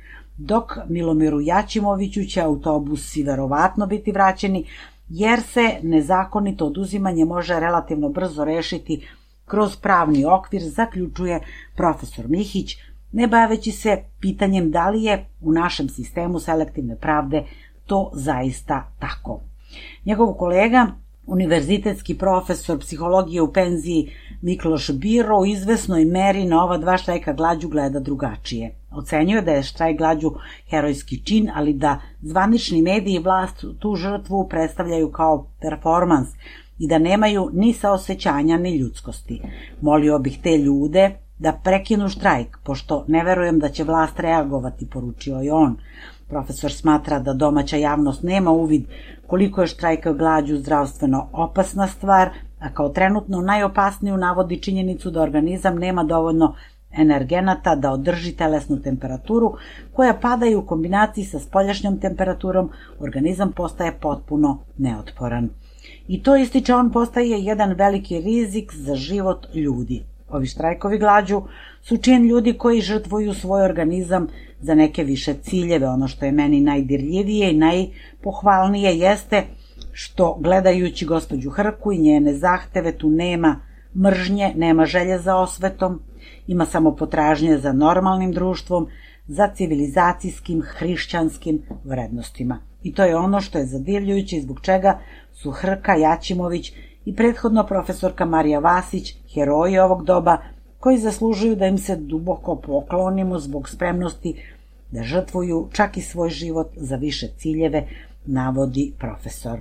Dok Milomiru Jačimoviću će autobusi verovatno biti vraćeni, jer se nezakonito oduzimanje može relativno brzo rešiti kroz pravni okvir, zaključuje profesor Mihić, ne baveći se pitanjem da li je u našem sistemu selektivne pravde to zaista tako. Njegov kolega, univerzitetski profesor psihologije u penziji Mikloš Biro, u izvesnoj meri na ova dva štrajka glađu gleda drugačije. Ocenjuje da je štrajk glađu herojski čin, ali da zvanični mediji i vlast tu žrtvu predstavljaju kao performans i da nemaju ni saosećanja ni ljudskosti. Molio bih te ljude da prekinu štrajk, pošto ne verujem da će vlast reagovati, poručio je on. Profesor smatra da domaća javnost nema uvid koliko je štrajk glađu zdravstveno opasna stvar, a kao trenutno najopasniju navodi činjenicu da organizam nema dovoljno energenata da održi telesnu temperaturu, koja pada i u kombinaciji sa spoljašnjom temperaturom, organizam postaje potpuno neotporan. I to, ističe on, postaje jedan veliki rizik za život ljudi. Ovi štrajkovi glađu su čin ljudi koji žrtvuju svoj organizam za neke više ciljeve. Ono što je meni najdirljivije i najpohvalnije jeste što, gledajući gospođu Hrku i njene zahteve, tu nema mržnje, nema želje za osvetom, ima samo potražnje za normalnim društvom, za civilizacijskim, hrišćanskim vrednostima. I to je ono što je zadivljujuće i zbog čega su Hrka, Jaćimović i prethodno profesorka Marija Vasić heroji ovog doba, koji zaslužuju da im se duboko poklonimo zbog spremnosti da žrtvuju čak i svoj život za više ciljeve, navodi profesor.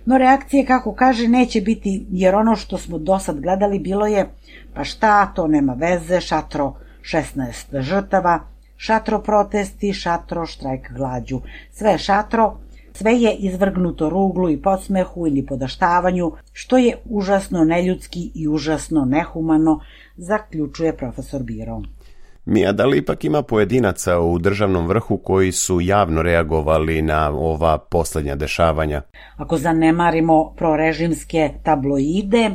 No reakcije, kako kaže, neće biti, jer ono što smo do sad gledali bilo je pa šta, to nema veze, šatro šesnaest žrtava, šatro protesti, šatro štrajk glađu. Sve je šatro, sve je izvrgnuto ruglu i podsmehu ili podaštavanju, što je užasno neljudski i užasno nehumano, zaključuje profesor Biro. Mija, da li ipak ima pojedinaca u državnom vrhu koji su javno reagovali na ova posljednja dešavanja? Ako zanemarimo prorežimske tabloide e,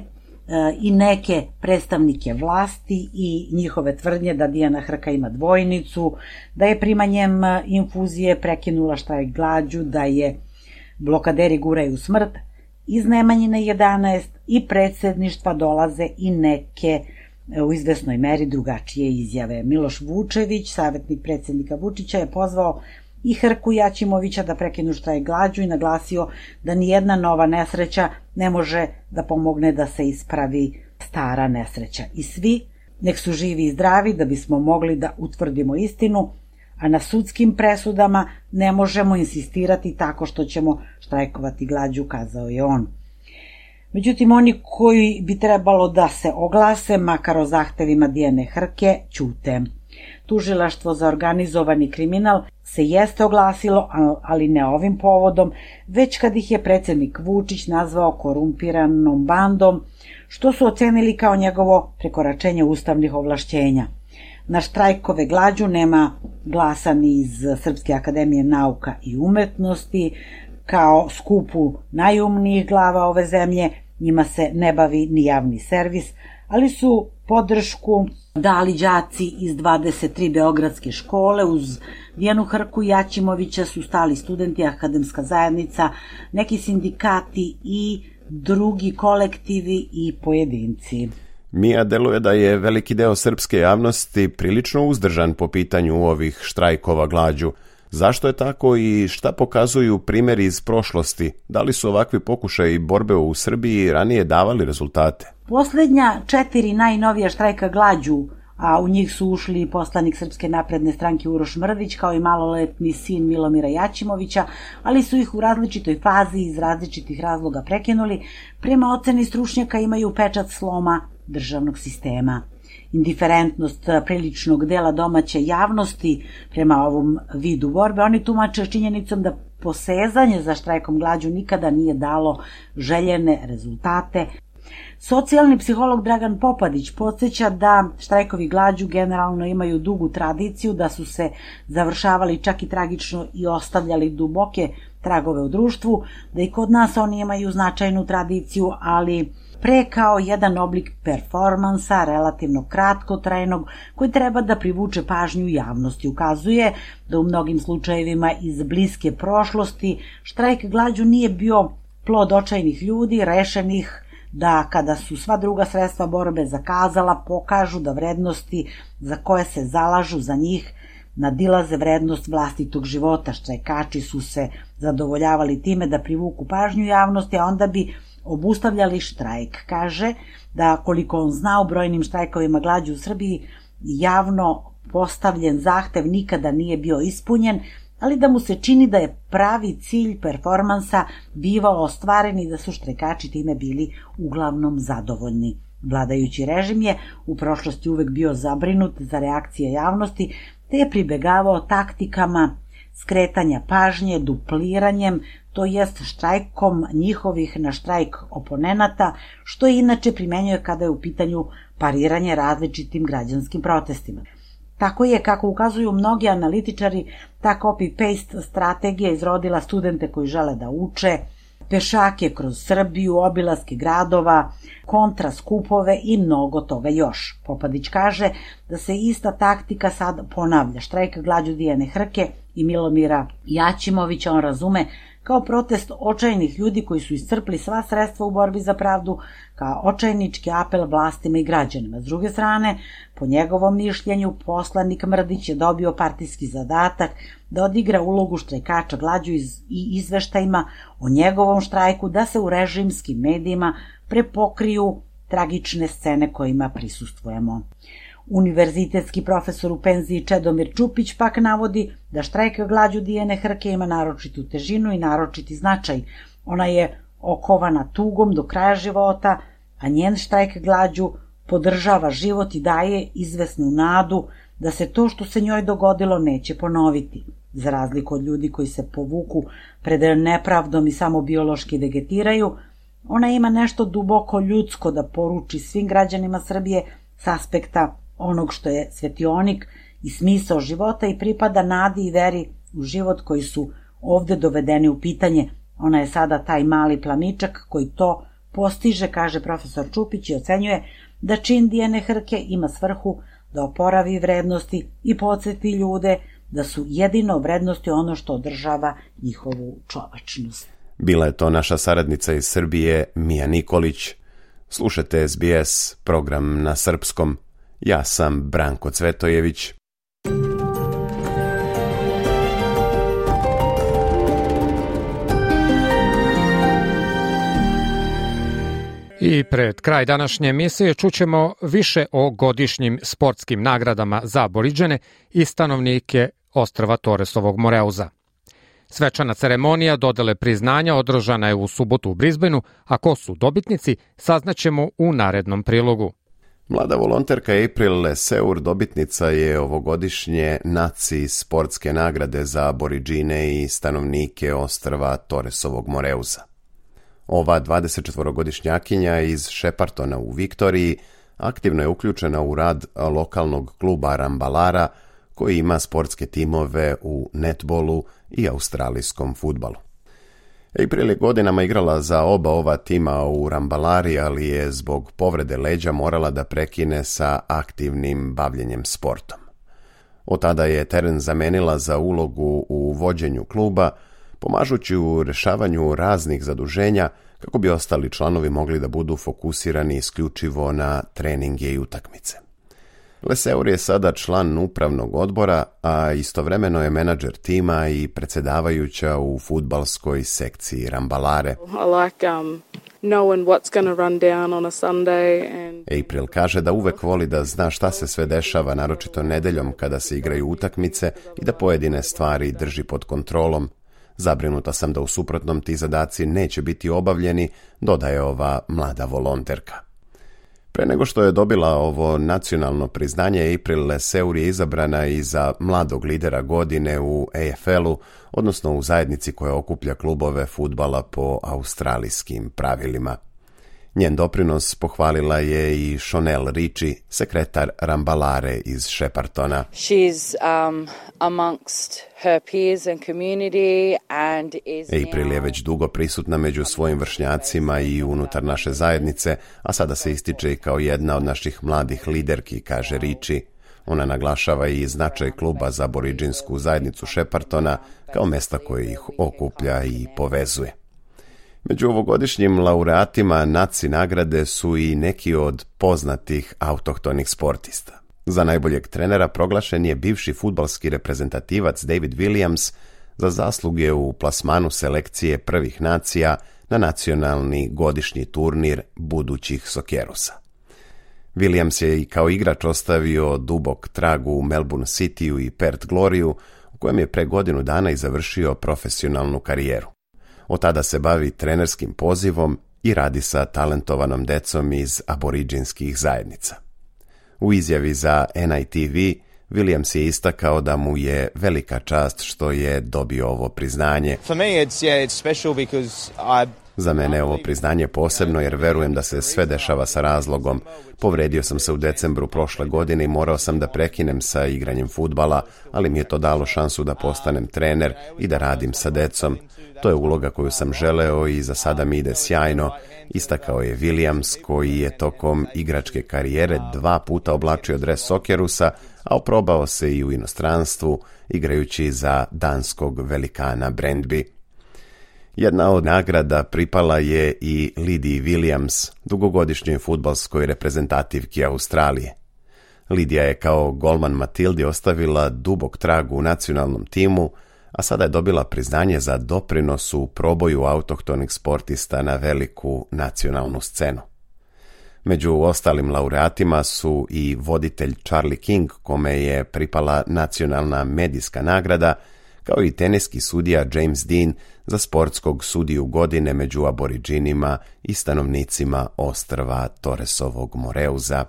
i neke predstavnike vlasti i njihove tvrdnje da Dijana Hrka ima dvojnicu, da je primanjem infuzije prekinula štrajk glađu, da je blokaderi guraju smrt, iz Nemanjine jedanaest i predsjedništva dolaze i neke u izvesnoj meri drugačije izjave. Miloš Vučević, savjetnik predsjednika Vučića, je pozvao i Hrku i Jaćimovića da prekinu štrajk glađu i naglasio da nijedna nova nesreća ne može da pomogne da se ispravi stara nesreća. I svi nek su živi i zdravi da bismo mogli da utvrdimo istinu, a na sudskim presudama ne možemo insistirati tako što ćemo štrajkovati glađu, kazao je on. Međutim, oni koji bi trebalo da se oglase, makar o zahtevima Dijane Hrke, ćute. Tužilaštvo za organizovani kriminal se jeste oglasilo, ali ne ovim povodom, već kad ih je predsjednik Vučić nazvao korumpiranom bandom, što su ocenili kao njegovo prekoračenje ustavnih ovlašćenja. Na štrajkove glađu nema glasa ni iz Srpske akademije nauka i umetnosti, kao skupu najumnijih glava ove zemlje. Njima se ne bavi ni javni servis, ali su podršku dali đaci iz dvadeset tri beogradske škole. Uz Dijanu Hrku i Jaćimovića su stali studenti, akademska zajednica, neki sindikati i drugi kolektivi i pojedinci. Mija, deluje da je veliki deo srpske javnosti prilično uzdržan po pitanju ovih štrajkova glađu. Zašto je tako i šta pokazuju primjeri iz prošlosti? Da li su ovakvi pokušaji borbe u Srbiji ranije davali rezultate? Posljednja četiri najnovija štrajka glađu, a u njih su ušli poslanik Srpske napredne stranke Uroš Mrdić kao i maloletni sin Milomira Jaćimovića, ali su ih u različitoj fazi iz različitih razloga prekinuli, prema oceni stručnjaka imaju pečat sloma državnog sistema. Indiferentnost priličnog dela domaće javnosti prema ovom vidu borbe oni tumače činjenicom da posezanje za štrajkom glađu nikada nije dalo željene rezultate. Socijalni psiholog Dragan Popadić podsjeća da štrajkovi glađu generalno imaju dugu tradiciju, da su se završavali čak i tragično i ostavljali duboke tragove u društvu, da i kod nas oni imaju značajnu tradiciju, ali pre kao jedan oblik performansa, relativno kratkotrajnog, koji treba da privuče pažnju javnosti. Ukazuje da u mnogim slučajevima iz bliske prošlosti štrajk glađu nije bio plod očajnih ljudi, rešenih da kada su sva druga sredstva borbe zakazala, pokažu da vrednosti za koje se zalažu za njih nadilaze vrednost vlastitog života. Štrajkači su se zadovoljavali time da privuku pažnju javnosti, a onda bi obustavljali štrajk. Kaže da koliko on zna u brojnim štrajkovima glađu u Srbiji javno postavljen zahtev nikada nije bio ispunjen, ali da mu se čini da je pravi cilj performansa bivao ostvaren i da su štrajkači time bili uglavnom zadovoljni. Vladajući režim je u prošlosti uvek bio zabrinut za reakcije javnosti, te je pribegavao taktikama skretanja pažnje, dupliranjem, to jest štrajkom njihovih na štrajk oponenata, što je inače primenjuje kada je u pitanju pariranje različitim građanskim protestima. Tako je, kako ukazuju mnogi analitičari, ta copy-paste strategija izrodila studente koji žele da uče, pešake kroz Srbiju, obilaske gradova, kontra skupove i mnogo toga još. Popadić kaže da se ista taktika sad ponavlja. Štrajk glađu Dijane Hrke i Milomira Jaćimovića on razume kao protest očajnih ljudi koji su iscrpli sva sredstva u borbi za pravdu, kao očajnički apel vlastima i građanima. S druge strane, po njegovom mišljenju, poslanik Mrdić je dobio partijski zadatak da odigra ulogu štrajkača glađu i izveštajima o njegovom štrajku, da se u režimskim medijima prepokriju tragične scene kojima prisustvujemo. Univerzitetski profesor u penziji Čedomir Čupić pak navodi da štrajk glađu Dijane Hrke ima naročitu težinu i naročiti značaj. Ona je okovana tugom do kraja života, a njen štrajk glađu podržava život i daje izvesnu nadu da se to što se njoj dogodilo neće ponoviti. Za razliku od ljudi koji se povuku pred nepravdom i samo biološki vegetiraju, ona ima nešto duboko ljudsko da poruči svim građanima Srbije s aspekta onog što je svetionik i smisao života i pripada nadi i veri u život koji su ovde dovedeni u pitanje. Ona je sada taj mali plamičak koji to postiže, kaže profesor Čupić, i ocenjuje da čin Dijane Hrke ima svrhu da oporavi vrednosti i podsjeti ljude da su jedino vrednosti ono što održava njihovu čovečnost. Bila je to naša saradnica iz Srbije, Mija Nikolić. Slušajte S B S, program na srpskom. Ja sam Branko Cvetojević. I pred kraj današnje emisije čućemo više o godišnjim sportskim nagradama za Aboriđene i stanovnike ostrva Torresovog Moreuza. Svečana ceremonija dodele priznanja održana je u subotu u Brisbaneu, a ko su dobitnici saznaćemo u narednom prilogu. Mlada volonterka April Leseur dobitnica je ovogodišnje NACI sportske nagrade za Aboriđine i stanovnike ostrva Torresovog Moreuza. Ova dvadesetčetvorogodišnjakinja iz Sheppartona u Viktoriji aktivno je uključena u rad lokalnog kluba Rambalara, koji ima sportske timove u netbolu i australijskom fudbalu. April je godinama igrala za oba ova tima u Rambalari, ali je zbog povrede leđa morala da prekine sa aktivnim bavljenjem sportom. Od tada je teren zamenila za ulogu u vođenju kluba, pomažući u rešavanju raznih zaduženja kako bi ostali članovi mogli da budu fokusirani isključivo na treninge i utakmice. Leseur je sada član upravnog odbora, a istovremeno je menadžer tima i predsjedavajuća u fudbalskoj sekciji Rambalare. I like um, knowing what's going to run down on a Sunday and... April kaže da uvek voli da zna šta se sve dešava, naročito nedeljom kada se igraju utakmice, i da pojedine stvari drži pod kontrolom. Zabrinuta sam da u suprotnom ti zadaci neće biti obavljeni, dodaje ova mlada volonterka. Pre nego što je dobila ovo nacionalno priznanje, April Leseur je izabrana i za mladog lidera godine u A F L-u, odnosno u zajednici koja okuplja klubove fudbala po australijskim pravilima. Njen doprinos pohvalila je i Shonelle Ritchie, sekretar Rambalare iz Sheppartona. She's um, amongst her peers and community and is April je već dugo prisutna među svojim vršnjacima i unutar naše zajednice, a sada se ističe i kao jedna od naših mladih liderki, kaže Ritchie. Ona naglašava i značaj kluba za aboriđinsku zajednicu Sheppartona kao mesta koje ih okuplja i povezuje. Među ovogodišnjim laureatima NACI nagrade su i neki od poznatih autohtonih sportista. Za najboljeg trenera proglašen je bivši fudbalski reprezentativac David Williams za zasluge u plasmanu selekcije prvih nacija na nacionalni godišnji turnir budućih Sokerusa. Williams je i kao igrač ostavio dubok trag u Melbourne Cityu i Perth Gloriju, u kojem je pre godinu dana i završio profesionalnu karijeru. Od tada se bavi trenerskim pozivom i radi sa talentovanom decom iz aboriđinskih zajednica. U izjavi za N I T V Williams je istakao da mu je velika čast što je dobio ovo priznanje. For me it's yeah, it's special because I Za mene je ovo priznanje posebno jer verujem da se sve dešava sa razlogom. Povredio sam se u decembru prošle godine i morao sam da prekinem sa igranjem fudbala, ali mi je to dalo šansu da postanem trener i da radim sa decom. To je uloga koju sam želeo i za sada mi ide sjajno, istakao je Williams, koji je tokom igračke karijere dva puta oblačio dres Sokerusa, a oprobao se i u inostranstvu, igrajući za danskog velikana Brøndby. Jedna od nagrada pripala je i Lidiji Williams, dugogodišnjoj fudbalskoj reprezentativki Australije. Lidija je kao golman Matildi ostavila dubok trag u nacionalnom timu, a sada je dobila priznanje za doprinos u proboju autohtonih sportista na veliku nacionalnu scenu. Među ostalim laureatima su i voditelj Charlie King, kome je pripala nacionalna medijska nagrada, kao i teniski sudija James Dean za sportskog sudiju godine među aboriđinima i stanovnicima ostrva Torresovog Moreuza.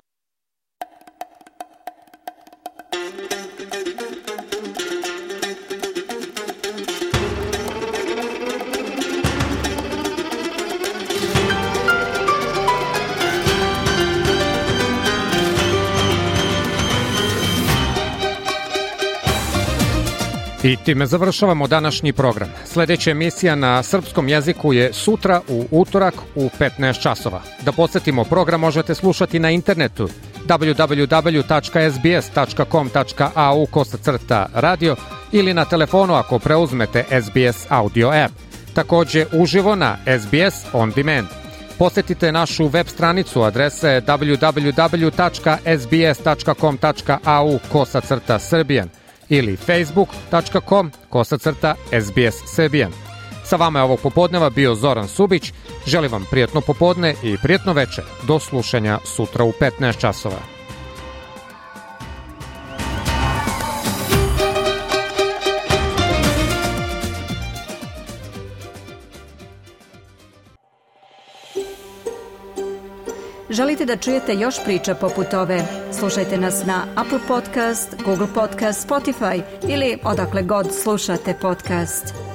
I time završavamo današnji program. Sljedeća emisija na srpskom jeziku je sutra u utorak u petnaest časova. Da podsjetimo, program možete slušati na internetu w w w tačka s b s tačka com tačka a u kosacrta radio ili na telefonu ako preuzmete S B S audio app. Također uživo na S B S On Demand. Posjetite našu web stranicu, adrese w w w tačka s b s tačka com tačka a u kosacrta srbijan ili facebook tačka com kosacrta S B S Serbian. Sa vama je ovog popodneva bio Zoran Subić. Želim vam prijatno popodne i prijatno večer. Do slušanja sutra u petnaest časova. Želite da čujete još priča poput ove? Slušajte nas na Apple Podcast, Google Podcast, Spotify ili odakle god slušate podcast.